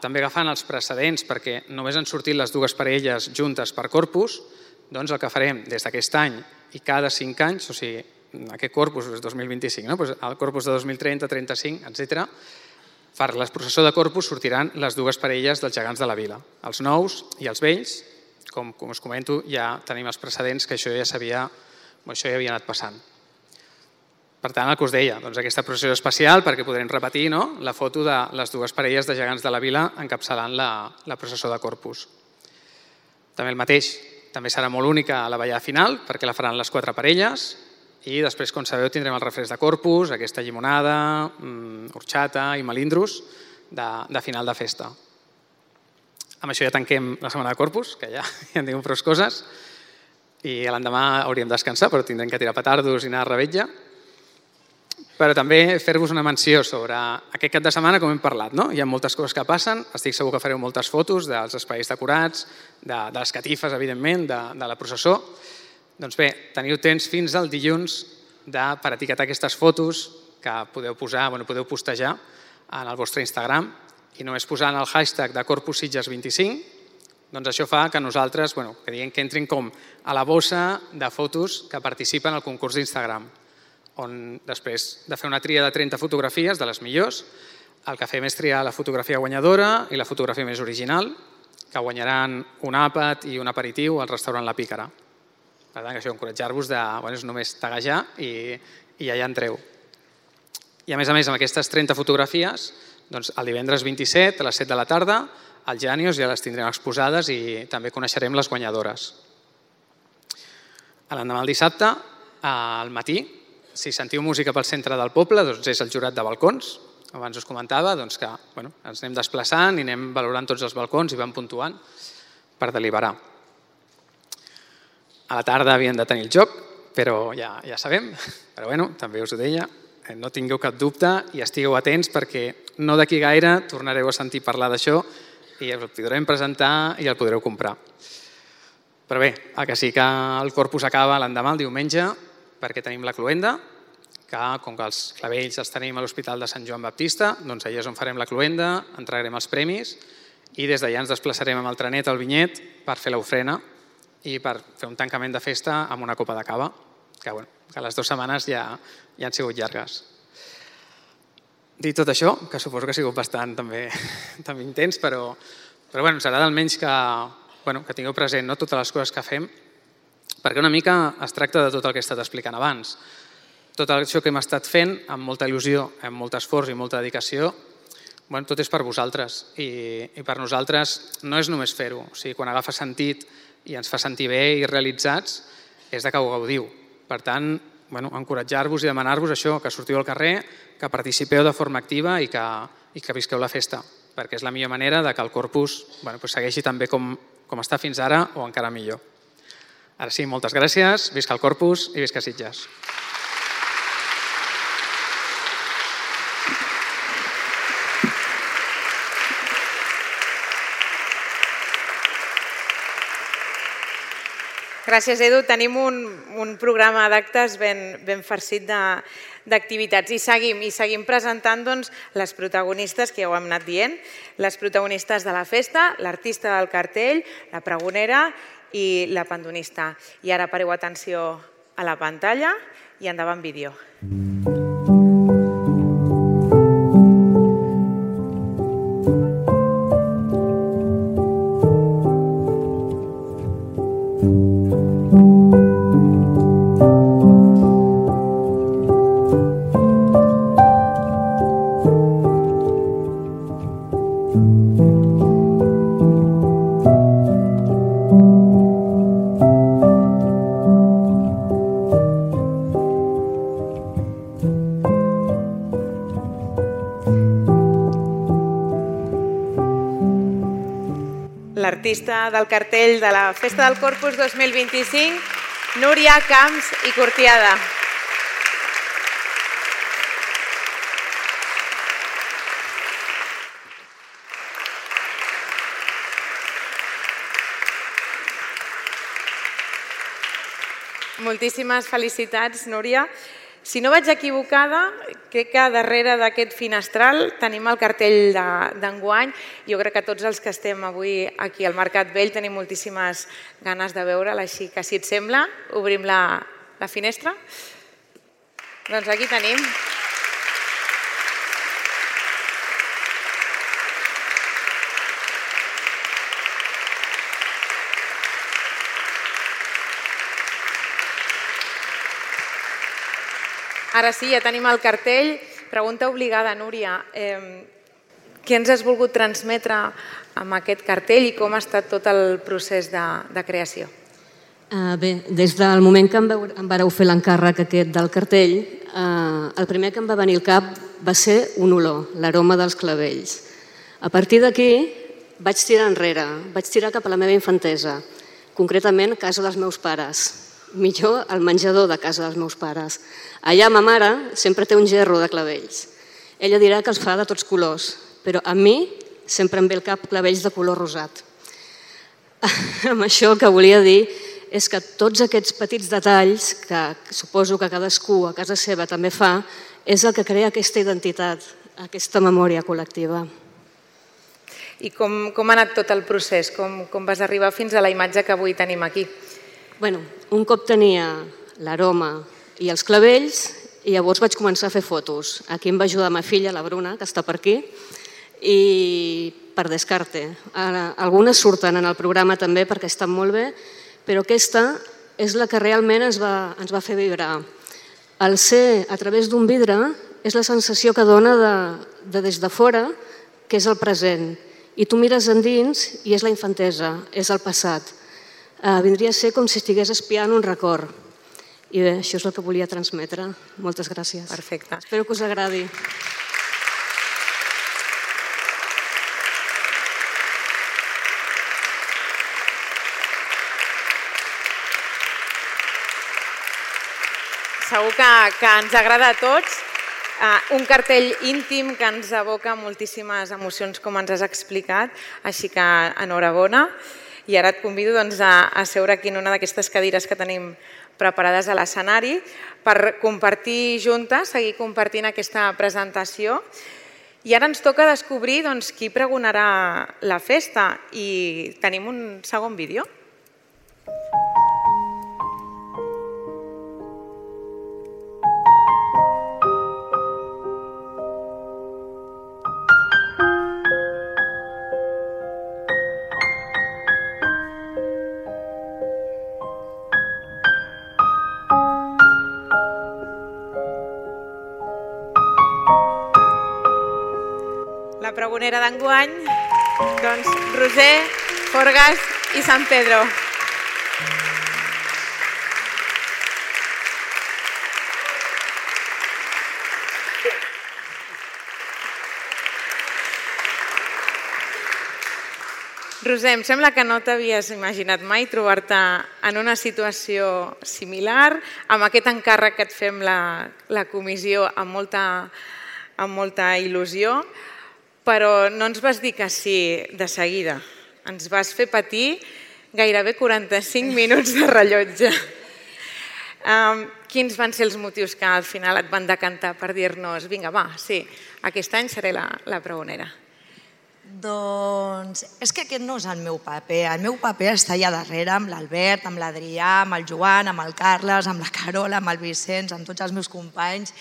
també agafant els precedents perquè només han sortit les dues parelles juntes per Corpus, doncs el que farem des d'aquest any i cada 5 anys, o sigui, aquest Corpus és 2025, el Corpus de 2030, 35, etc. Per la processó de Corpus sortiran les dues parelles dels gegants de la vila, els nous i els vells. Com us comento, ja tenim els precedents que això ja havia anat passant. Per tant, el que us deia, aquesta processó especial perquè podrem repetir la foto de les dues parelles de gegants de la vila encapçalant la processó de Corpus. També el mateix, també serà molt única la ballada final perquè la faran les 4 parelles i després, com sabeu, tindrem el refresc de Corpus, aquesta llimonada, horxata i melindros de final de festa. Amb això ja tanquem la setmana de Corpus, que ja en diguem prou coses, i l'endemà hauríem de descansar, però tindrem que tirar petardos i anar a revetlla. Però també fer-vos una menció sobre aquest cap de setmana, com hem parlat. Hi ha moltes coses que passen, estic segur que fareu moltes fotos dels espais decorats, de les catifes, evidentment, de la processó. Doncs bé, teniu temps fins al dilluns per etiquetar aquestes fotos que podeu postejar en el vostre Instagram i només posant el hashtag de Corpus Sitges 25, doncs això fa que nosaltres, que diguem que entrin com a la bossa de fotos que participen al concurs d'Instagram, on després de fer una tria de 30 fotografies, de les millors, el que fem és triar la fotografia guanyadora i la fotografia més original, que guanyaran un àpat i un aperitiu al restaurant La Pícara. Per tant, això, encoratjar-vos és només taguejar i ja hi entreu. I a més, amb aquestes 30 fotografies, el divendres 27 a les 7 de la tarda, al Janios ja les tindrem exposades i també coneixerem les guanyadores. L'endemà, el dissabte, al matí, si sentiu música pel centre del poble, doncs és el jurat de balcons. Abans us comentava que ens anem desplaçant i anem valorant tots els balcons i vam puntuant per deliberar. A la tarda havíem de tenir el joc, però ja sabem, però també us ho deia, no tingueu cap dubte i estigueu atents perquè no d'aquí gaire tornareu a sentir parlar d'això i el podrem presentar i el podreu comprar. Però bé, el que sí que el Corpus acaba l'endemà, el diumenge, perquè tenim la cloenda, que com que els clavells els tenim a l'Hospital de Sant Joan Baptista, doncs allà és on farem la cloenda, entregarem els premis i des d'allà ens desplaçarem amb el trenet al Vinyet per fer l'ofrena i per fer un tancament de festa amb una copa de cava, que les 2 setmanes ja han sigut llargues. Dit tot això, que suposo que ha sigut bastant també intens, però ens agrada almenys que tingueu present totes les coses que fem, perquè una mica es tracta de tot el que he estat explicant abans. Tot això que hem estat fent amb molta il·lusió, amb molt esforç i molta dedicació, tot és per vosaltres i per nosaltres no és només fer-ho. O sigui, quan agafa sentit i ens fa sentir bé i realitzats, és que ho gaudiu. Per tant, encoratjar-vos i demanar-vos això, que sortiu al carrer, que participeu de forma activa i que visqueu la festa, perquè és la millor manera que el Corpus segueixi tan bé com està fins ara o encara millor. Ara sí, moltes gràcies, visca el Corpus i visca Sitges. Gràcies, Edu. Tenim un programa d'actes ben farcit d'activitats i seguim presentant les protagonistes, que ja ho hem anat dient, les protagonistes de la festa, l'artista del cartell, la pregonera i la pandonista. I ara pareu atenció a la pantalla i endavant vídeo. l'artista del cartell de la Festa del Corpus 2025, Núria Camps i Cortiada. Moltíssimes felicitats, Núria. Si no vaig equivocada, crec que darrere d'aquest finestral tenim el cartell d'enguany. Jo crec que tots els que estem avui aquí al Mercat Vell tenim moltíssimes ganes de veure'l, així que si et sembla, obrim la finestra. Doncs aquí tenim. Ara sí, ja tenim el cartell. Pregunta obligada, Núria. Què ens has volgut transmetre amb aquest cartell i com ha estat tot el procés de creació? Bé, des del moment que em vareu fer l'encàrrec aquest del cartell, el primer que em va venir al cap va ser un olor, l'aroma dels clavells. A partir d'aquí vaig tirar enrere, vaig tirar cap a la meva infantesa, concretament a casa dels meus pares, millor al menjador de casa dels meus pares. Allà ma mare sempre té un gerro de clavells. Ella dirà que els fa de tots colors, però a mi sempre em ve al cap clavells de color rosat. Amb això el que volia dir és que tots aquests petits detalls, que suposo que cadascú a casa seva també fa, és el que crea aquesta identitat, aquesta memòria col·lectiva. I com ha anat tot el procés? Com vas arribar fins a la imatge que avui tenim aquí? Bueno, un cop tenia l'aroma i els clavells, i llavors vaig començar a fer fotos. Aquí em va ajudar ma filla, la Bruna, que està per aquí, i per descarte. Algunes surten en el programa també perquè estan molt bé, però aquesta és la que realment ens va fer vibrar. El ser a través d'un vidre és la sensació que dona de des de fora, que és el present. I tu mires endins i és la infantesa, és el passat. Vindria a ser com si estigués espiant un record. I bé, això és el que volia transmetre. Moltes gràcies. Perfecte. Espero que us agradi. Segur que ens agrada a tots. Un cartell íntim que ens evoca moltíssimes emocions, com ens has explicat, així que enhorabona. I ara et convido a seure aquí en una d'aquestes cadires que tenim preparades a l'escenari per compartir juntes, seguir compartint aquesta presentació. I ara ens toca descobrir qui pregonarà la festa i tenim un segon vídeo. La pregonera d'enguany, Roser, Forgas i Sant Pedro. Roser, em sembla que no t'havies imaginat mai trobar-te en una situació similar, amb aquest encàrrec que et fem la comissió amb molta il·lusió, però no ens vas dir que sí de seguida. Ens vas fer patir gairebé 45 minuts de rellotge. Quins van ser els motius que al final et van decantar per dir-nos vinga, va, sí, aquest any seré la pregonera? Doncs és que aquest no és el meu paper. El meu paper està allà darrere amb l'Albert, amb l'Adrià, amb el Joan, amb el Carles, amb la Carola, amb el Vicenç, amb tots els meus companys.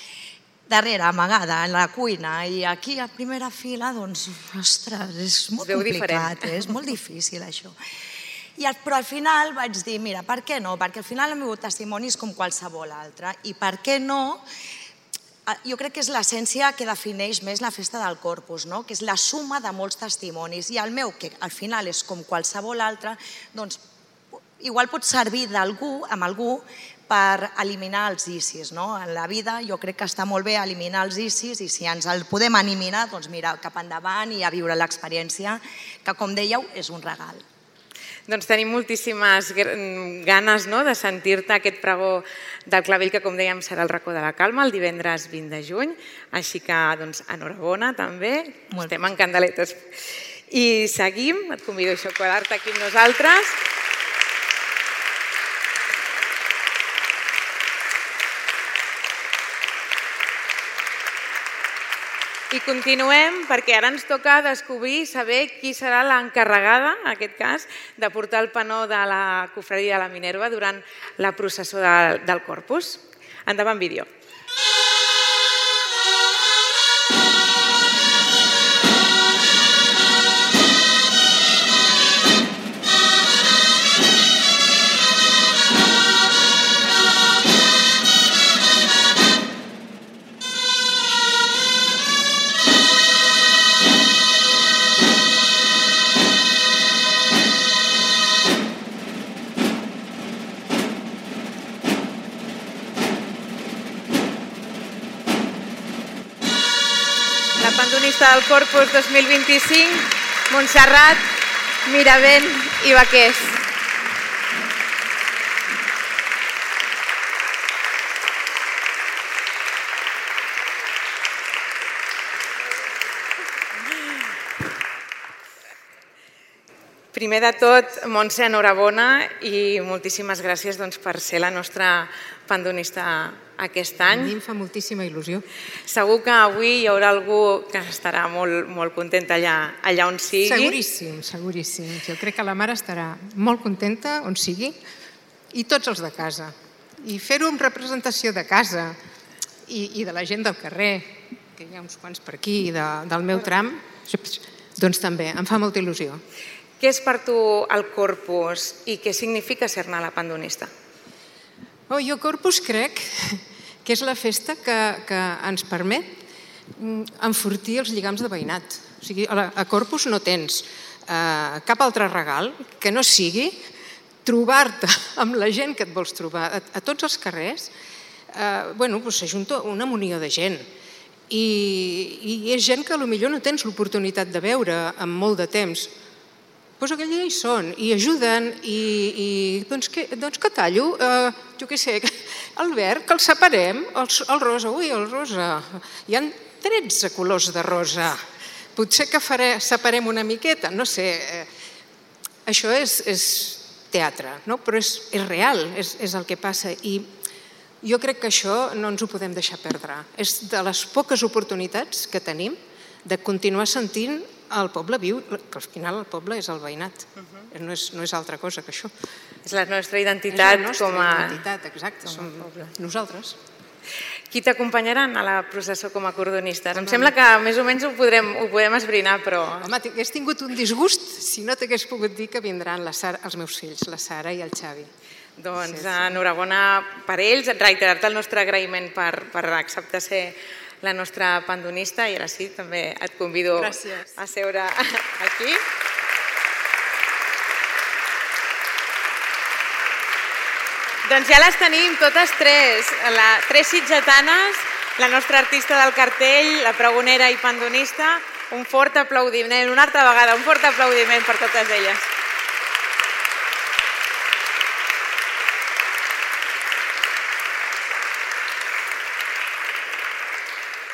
Darrere, amagada, en la cuina, i aquí a primera fila, doncs, ostres, és molt complicat, és molt difícil això. Però al final vaig dir, mira, per què no? Perquè al final el meu testimoni és com qualsevol altre, i per què no? Jo crec que és l'essència que defineix més la Festa del Corpus, que és la suma de molts testimonis, i el meu, que al final és com qualsevol altre, doncs igual pot servir amb algú, per eliminar els ICIs. En la vida jo crec que està molt bé eliminar els ICIs i si ens el podem eliminar, doncs mira, cap endavant i a viure l'experiència, que com dèieu, és un regal. Doncs tenim moltíssimes ganes de sentir-te aquest pregó del clavell que, com dèiem, serà el racó de la Calma el divendres 20 de juny. Així que, enhorabona també, estem en candeletes. I seguim, et convido a quedar-te aquí amb nosaltres. I continuem perquè ara ens toca descobrir, saber qui serà l'encarregada, en aquest cas, de portar el panó de la Cofradia de la Minerva durant la processó del Corpus. Endavant, vídeo. Pandonista del Corpus 2025, Montserrat, Miravent i Baqués. Primer de tot, Montse, enhorabona i moltíssimes gràcies per ser la nostra pandonista aquest any. A mi em fa moltíssima il·lusió. Segur que avui hi haurà algú que estarà molt contenta allà on sigui. Seguríssim, seguríssim. Jo crec que la mare estarà molt contenta on sigui i tots els de casa. I fer-ho en representació de casa i de la gent del carrer, que hi ha uns quants per aquí, del meu tram, doncs també em fa molta il·lusió. Què és per tu el Corpus i què significa ser-ne la pandonista? Jo Corpus crec que és la festa que ens permet enfortir els lligams de veïnat. O sigui, a Corpus no tens cap altre regal que no sigui trobar-te amb la gent que et vols trobar. A tots els carrers s'ajunta una munió de gent i és gent que potser no tens l'oportunitat de veure en molt de temps. Doncs aquell dia hi són, i ajuden, i doncs que tallo? Jo què sé, el verd, que el separem, el rosa, el rosa. Hi ha 13 colors de rosa. Potser que separem una miqueta, no sé. Això és teatre, però és real, és el que passa. I jo crec que això no ens ho podem deixar perdre. És de les poques oportunitats que tenim de continuar sentint el poble viu, que al final el poble és el veïnat, no és altra cosa que això. És la nostra identitat com a... És la nostra identitat, exacte, som nosaltres. Qui t'acompanyaran a la processó com a cordonista? Em sembla que més o menys ho podem esbrinar, però... Home, hagués tingut un disgust si no t'hagués pogut dir que vindran els meus fills, la Sara i el Xavi. Doncs enhorabona per ells, reiterar-te el nostre agraïment per acceptar ser la nostra pandonista i ara sí, també et convido a seure aquí. Doncs ja les tenim totes tres sitgetanes, la nostra artista del cartell, la pregonera i pandonista. Un fort aplaudiment, una altra vegada, un fort aplaudiment per totes elles.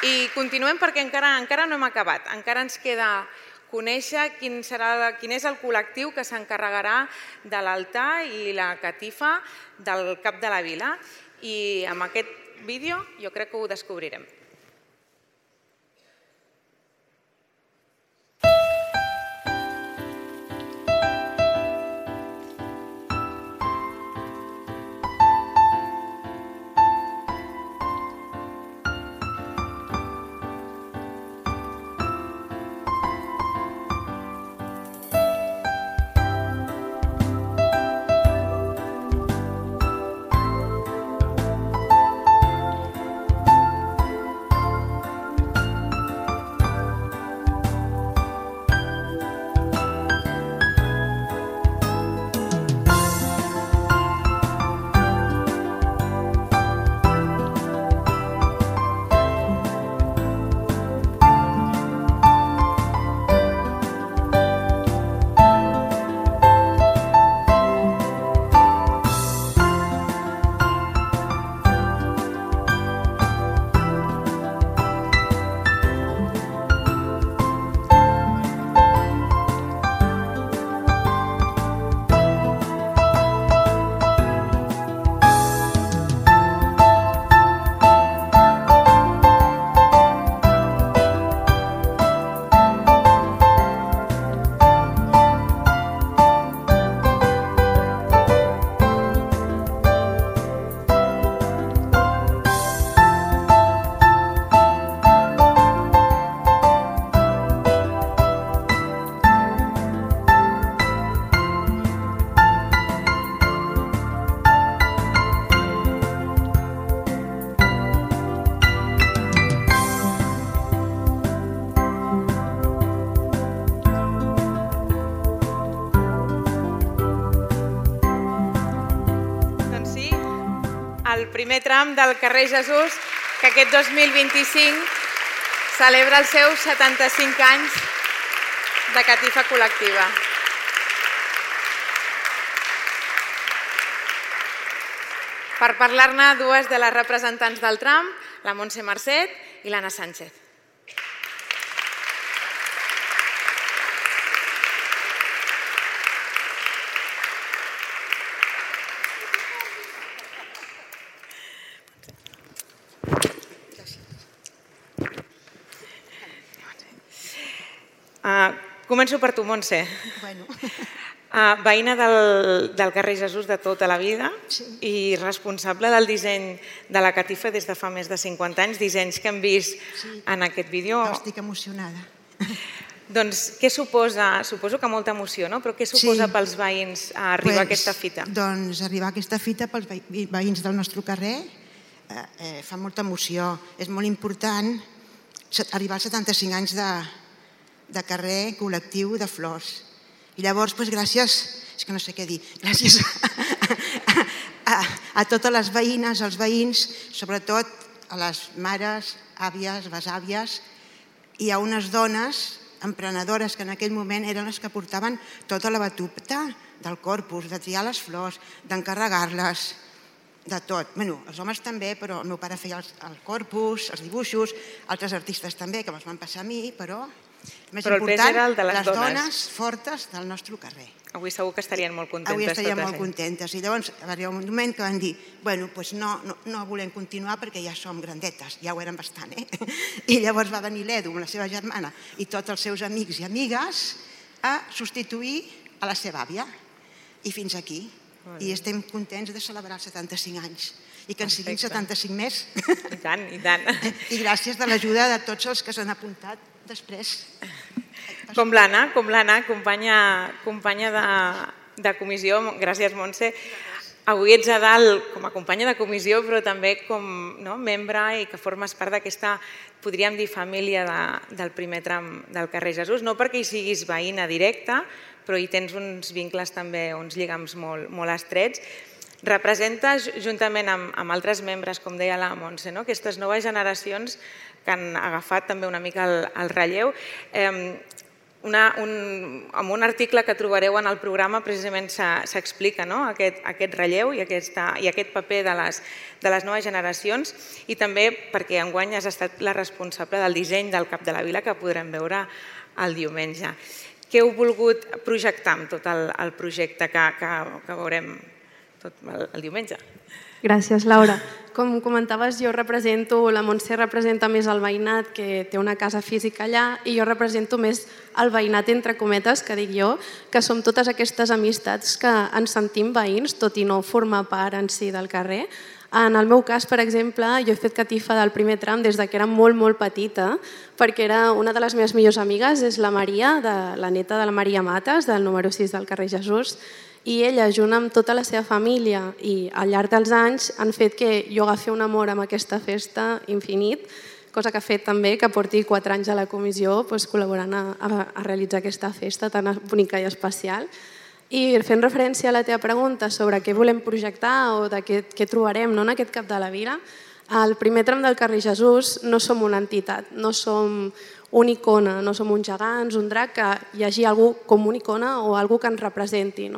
I continuem perquè encara no hem acabat. Encara ens queda conèixer quin és el col·lectiu que s'encarregarà de l'altar i la catifa del cap de la vila. I amb aquest vídeo jo crec que ho descobrirem. el primer tram del carrer Jesús, que aquest 2025 celebra els seus 75 anys de catifa col·lectiva. Per parlar-ne, dues de les representants del tram, la Montse Marcet i l'Anna Sánchez. Començo per tu, Montse. Veïna del carrer Jesús de tota la vida i responsable del disseny de la catifa des de fa més de 50 anys, dissenys que hem vist en aquest vídeo. Estic emocionada. Doncs què suposa? Suposo que molta emoció, no? Però què suposa pels veïns arribar a aquesta fita? Doncs arribar a aquesta fita pels veïns del nostre carrer fa molta emoció. És molt important arribar als 75 anys de carrer col·lectiu de flors. I llavors, gràcies, és que no sé què dir, gràcies a totes les veïnes, als veïns, sobretot a les mares, àvies, besàvies, i a unes dones emprenedores que en aquell moment eren les que portaven tota la batuta del corpus, de triar les flors, d'encarregar-les, de tot. Bé, els homes també, però el meu pare feia el corpus, els dibuixos, altres artistes també, que me'ls van passar a mi, però més important, les dones fortes del nostre carrer. Avui segur que estarien molt contentes. Avui estarien molt contentes. I llavors va arribar un moment que van dir no volem continuar perquè ja som grandetes, ja ho érem bastant. I llavors va venir l'Edu amb la seva germana i tots els seus amics i amigues a substituir a la seva àvia. I fins aquí. I estem contents de celebrar els 75 anys. I que en siguin 75 més. I tant, i tant. I gràcies de l'ajuda de tots els que s'han apuntat després. Com l'Anna, companya de comissió. Gràcies, Montse. Avui ets a dalt com a companya de comissió, però també com membre i que formes part d'aquesta, podríem dir, família del primer tram del carrer Jesús. No perquè hi siguis veïna directa, però hi tens uns vincles també, uns lligams molt estrets. Representes, juntament amb altres membres, com deia la Montse, aquestes noves generacions que han agafat també una mica el relleu. Amb un article que trobareu en el programa precisament s'explica aquest relleu i aquest paper de les noves generacions, i també perquè enguany has estat la responsable del disseny del Cap de la Vila, que podrem veure el diumenge. Què heu volgut projectar amb tot el projecte que veurem el diumenge? Gràcies, Laura. Com comentaves, la Montse representa més el veïnat, que té una casa física allà, i jo represento més el veïnat, entre cometes, que dic jo, que som totes aquestes amistats que ens sentim veïns, tot i no formar part en si del carrer. En el meu cas, per exemple, jo he fet catifa del primer tram des que era molt petita, perquè una de les meves millors amigues és la Maria, la neta de la Maria Mates, del número 6 del carrer Jesús, i ella, junt amb tota la seva família i al llarg dels anys, han fet que jo agafi un amor amb aquesta festa infinit, cosa que ha fet també que porti 4 anys a la comissió col·laborant a realitzar aquesta festa tan bonica i especial. I fent referència a la teva pregunta sobre què volem projectar o de què trobarem en aquest Cap de la Vila, al primer tram del carrer Jesús no som una entitat, no som una icona, no som uns gegants, un drac, que hi hagi algú com una icona o algú que ens representi.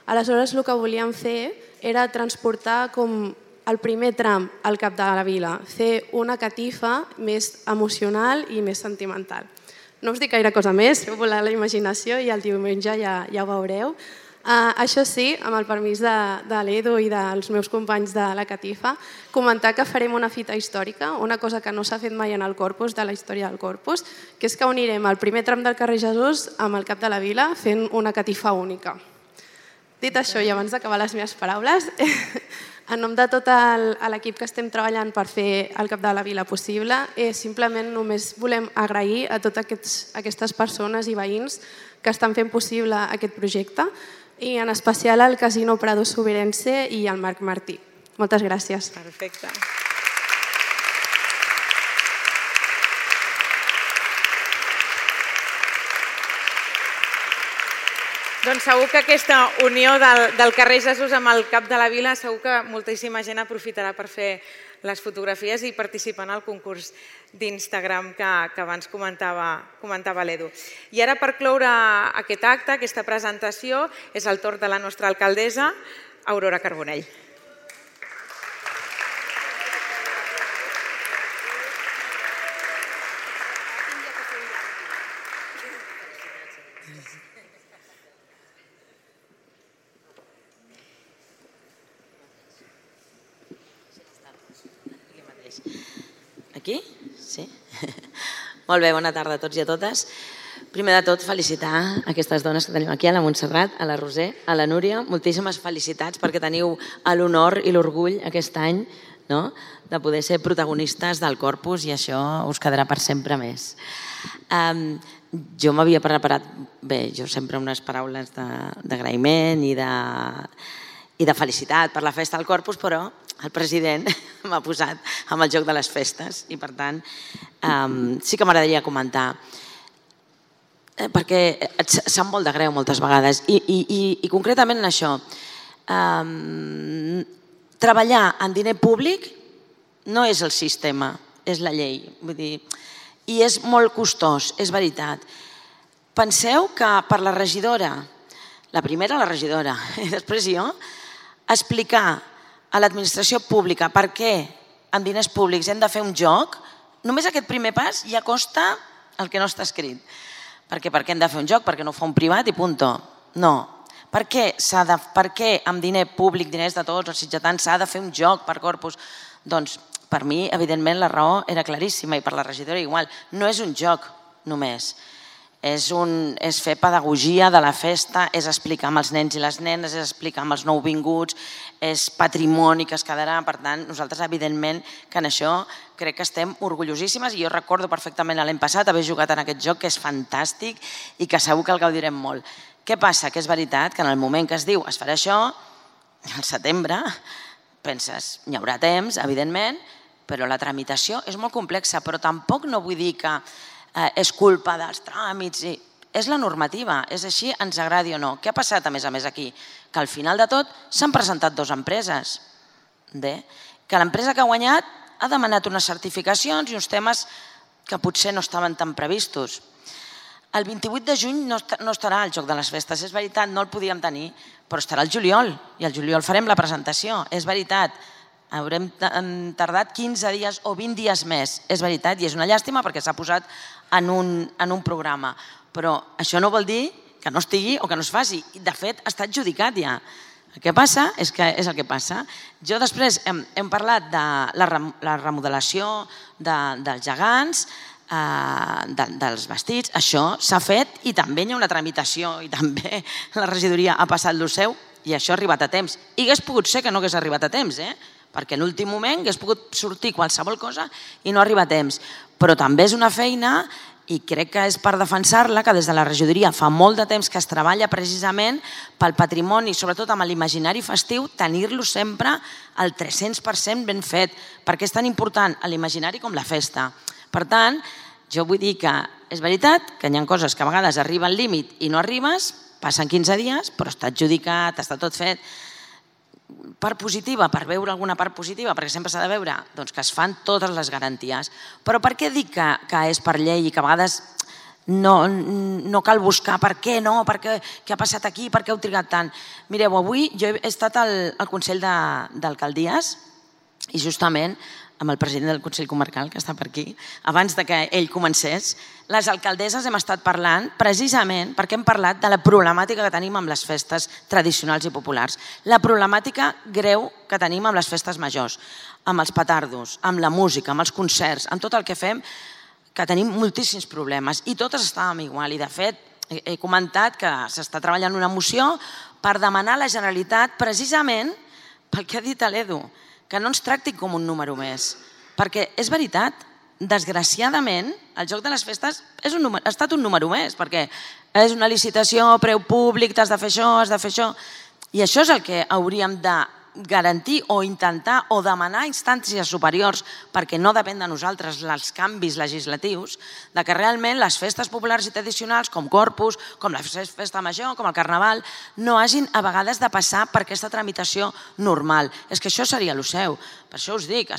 Aleshores, el que volíem fer era transportar com el primer tram al Cap de la Vila, fer una catifa més emocional i més sentimental. No us dic gaire cosa més, feu volar la imaginació i el diumenge ja ho veureu. Això sí, amb el permís de l'Edu i dels meus companys de la catifa, comentar que farem una fita històrica, una cosa que no s'ha fet mai en el Corpus, de la història del Corpus, que és que unirem el primer tram del carrer Jesús amb el Cap de la Vila fent una catifa única. Dit això, i abans d'acabar les meves paraules, en nom de tot l'equip que estem treballant per fer el Cap de la Vila possible, simplement només volem agrair a totes aquestes persones i veïns que estan fent possible aquest projecte, i en especial al Casino Prado Sobirense i al Marc Martí. Moltes gràcies. Perfecte. Doncs segur que aquesta unió del carrer Jesús amb el cap de la vila, segur que moltíssima gent aprofitarà per fer les fotografies i participar en el concurs d'Instagram que abans comentava l'Edu. I ara, per cloure aquest acte, aquesta presentació, és el torn de la nostra alcaldessa, Aurora Carbonell. Aquí? Sí? Molt bé, bona tarda a tots i a totes. Primer de tot, felicitar aquestes dones que tenim aquí, a la Montserrat, a la Roser, a la Núria. Moltíssimes felicitats perquè teniu l'honor i l'orgull aquest any de poder ser protagonistes del Corpus i això us quedarà per sempre més. Jo m'havia preparat, bé, jo sempre unes paraules d'agraïment i de felicitat per la festa del Corpus, però el president m'ha posat amb el joc de les festes i per tant sí que m'agradaria comentar perquè et sap molt de greu moltes vegades i concretament en això treballar en diner públic no és el sistema, és la llei, vull dir, i és molt costós, és veritat. Penseu que per la regidora, la primera la regidora i després jo, explicar a l'administració pública per què amb diners públics hem de fer un joc, només aquest primer pas ja costa el que no està escrit. Perquè per què hem de fer un joc? Perquè no ho fa un privat i punto. No. Per què amb diner públic, diners de tots els sitgetans, s'ha de fer un joc per Corpus? Doncs per mi, evidentment, la raó era claríssima i per la regidora igual. No és un joc només. És fer pedagogia de la festa, és explicar amb els nens i les nenes, és explicar amb els nouvinguts, és patrimoni que es quedarà. Per tant, nosaltres, evidentment, que en això crec que estem orgullosíssimes i jo recordo perfectament l'any passat haver jugat en aquest joc, que és fantàstic i que segur que el gaudirem molt. Què passa? Que és veritat que en el moment que es diu es farà això, al setembre, penses, hi haurà temps, evidentment, però la tramitació és molt complexa, però tampoc no vull dir que és culpa dels tràmits, és la normativa, és així, ens agradi o no. Què ha passat a més aquí? Que al final de tot s'han presentat dues empreses, que l'empresa que ha guanyat ha demanat unes certificacions i uns temes que potser no estaven tan previstos. El 28 de juny no estarà al Joc de les Festes, és veritat, no el podíem tenir, però estarà al juliol i al juliol farem la presentació, és veritat. Haurem tardat 15 dies o 20 dies més, és veritat, i és una llàstima perquè s'ha posat en un programa. Però això no vol dir que no estigui o que no es faci. De fet, està adjudicat ja. El que passa és que és el que passa. Jo després hem parlat de la remodelació dels gegants, dels vestits. Això s'ha fet i també hi ha una tramitació i també la regidoria ha passat el seu i això ha arribat a temps. I hagués pogut ser que no hagués arribat a temps, perquè en l'últim moment hagués pogut sortir qualsevol cosa i no arriba a temps. Però també és una feina, i crec que és per defensar-la, que des de la regidoria fa molt de temps que es treballa precisament pel patrimoni, sobretot amb l'imaginari festiu, tenir-lo sempre al 300% ben fet, perquè és tan important l'imaginari com la festa. Per tant, jo vull dir que és veritat que hi ha coses que a vegades arriba al límit i no arribes, passen 15 dies, però està adjudicat, està tot fet. Part positiva, per veure alguna part positiva, perquè sempre s'ha de veure que es fan totes les garanties. Però per què dic que és per llei i que a vegades no cal buscar per què no, què ha passat aquí, per què heu trigat tant? Mireu, avui jo he estat al Consell d'Alcaldies i justament amb el president del Consell Comarcal, que està per aquí, abans que ell comencés, les alcaldesses hem estat parlant precisament perquè hem parlat de la problemàtica que tenim amb les festes tradicionals i populars, la problemàtica greu que tenim amb les festes majors, amb els petardos, amb la música, amb els concerts, amb tot el que fem, que tenim moltíssims problemes i totes estàvem igual i de fet he comentat que s'està treballant una moció per demanar a la Generalitat precisament pel que ha dit l'Edu, que no ens tracti com un número més. Perquè és veritat, desgraciadament, el Joc de les Festes ha estat un número més, perquè és una licitació, preu públic, t'has de fer això, has de fer això. I això és el que hauríem de garantir o intentar o demanar a instàncies superiors, perquè no depèn de nosaltres els canvis legislatius, de que realment les festes populars i tradicionals, com Corpus, com la festa major, com el Carnaval, no hagin a vegades de passar per aquesta tramitació normal. És que això seria el seu. Per això us dic,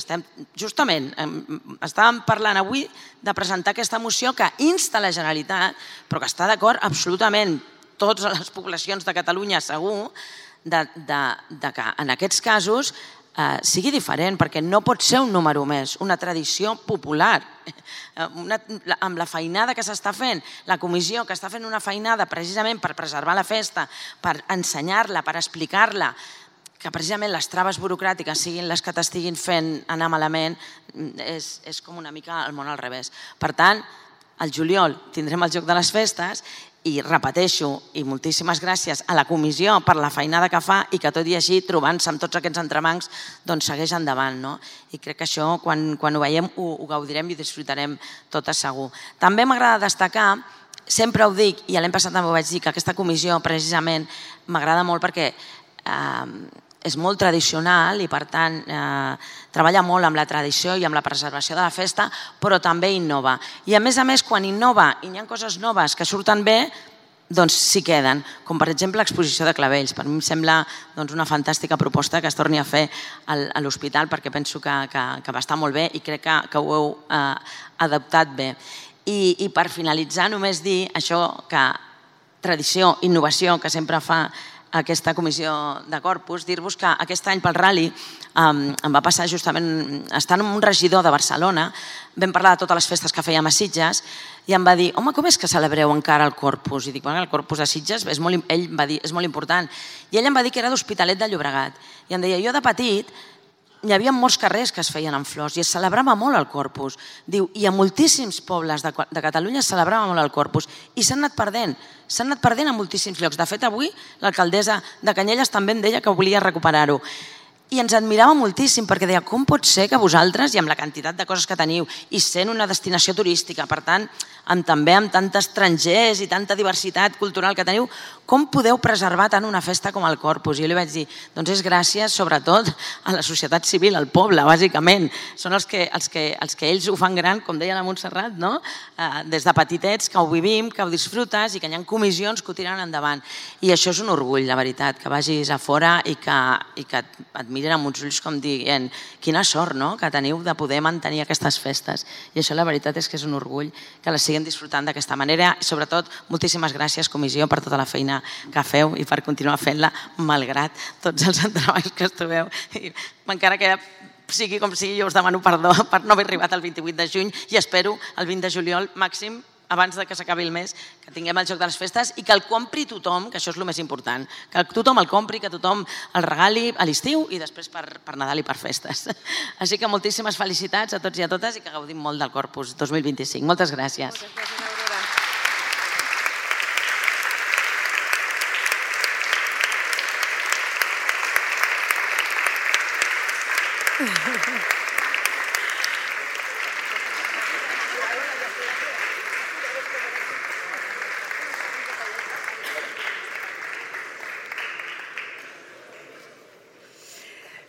justament estàvem parlant avui de presentar aquesta moció que insta la Generalitat, però que està d'acord absolutament totes les poblacions de Catalunya segur, que en aquests casos sigui diferent, perquè no pot ser un número més, una tradició popular. Amb la feinada que s'està fent, la comissió que està fent una feinada precisament per preservar la festa, per ensenyar-la, per explicar-la, que precisament les traves burocràtiques siguin les que t'estiguin fent anar malament, és com una mica el món al revés. Per tant, al juliol tindrem el Joc de les Festes i repeteixo, i moltíssimes gràcies a la comissió per la feinada que fa i que tot i així, trobant-se amb tots aquests entrebancs, doncs segueix endavant. I crec que això, quan ho veiem, ho gaudirem i ho disfrutarem totes segur. També m'agrada destacar, sempre ho dic, i l'any passat també ho vaig dir, que aquesta comissió precisament m'agrada molt perquè és molt tradicional i per tant treballa molt amb la tradició i amb la preservació de la festa, però també innova. I a més, quan innova i hi ha coses noves que surten bé, doncs s'hi queden, com per exemple l'exposició de clavells. Per mi em sembla una fantàstica proposta que es torni a fer a l'hospital perquè penso que va estar molt bé i crec que ho heu adaptat bé. I per finalitzar només dir això que tradició, innovació que sempre fa aquesta comissió de Corpus, dir-vos que aquest any pel Rally em va passar justament, estant un regidor de Barcelona, vam parlar de totes les festes que fèiem a Sitges i em va dir, home, com és que celebreu encara el Corpus? I dic, bueno, el Corpus de Sitges, ell va dir, és molt important. I ell em va dir que era d'Hospitalet de Llobregat. I em deia, jo de petit hi havia molts carrers que es feien amb flors i es celebrava molt el Corpus. Diu, i a moltíssims pobles de Catalunya es celebrava molt el Corpus i s'han anat perdent a moltíssims llocs. De fet, avui l'alcaldessa de Canyelles també em deia que volia recuperar-ho. I ens admirava moltíssim perquè deia, com pot ser que vosaltres, i amb la quantitat de coses que teniu, i sent una destinació turística, per tant, també amb tants estrangers i tanta diversitat cultural que teniu, com podeu preservar tant una festa com el Corpus? I jo li vaig dir, doncs és gràcies sobretot a la societat civil, al poble, bàsicament. Són els que ells ho fan gran, com deia la Montserrat, des de petitets, que ho vivim, que ho disfrutes i que hi ha comissions que ho tiren endavant. I això és un orgull, la veritat, que vagis a fora i que et miren amb uns ulls com dient quina sort que teniu de poder mantenir aquestes festes. I això la veritat és que és un orgull que les siguin disfrutant d'aquesta manera i sobretot moltíssimes gràcies comissió per tota la feina que feu i per continuar fent-la malgrat tots els entrebancs que estuveu. Encara que sigui com sigui, jo us demano perdó per no haver arribat el 28 de juny i espero el 20 de juliol màxim abans que s'acabi el mes, que tinguem el Joc de les Festes i que el compri tothom, que això és el més important, que tothom el compri, que tothom el regali a l'estiu i després per Nadal i per festes. Així que moltíssimes felicitats a tots i a totes i que gaudim molt del Corpus 2025. Moltes gràcies. Moltes gràcies, Aurora.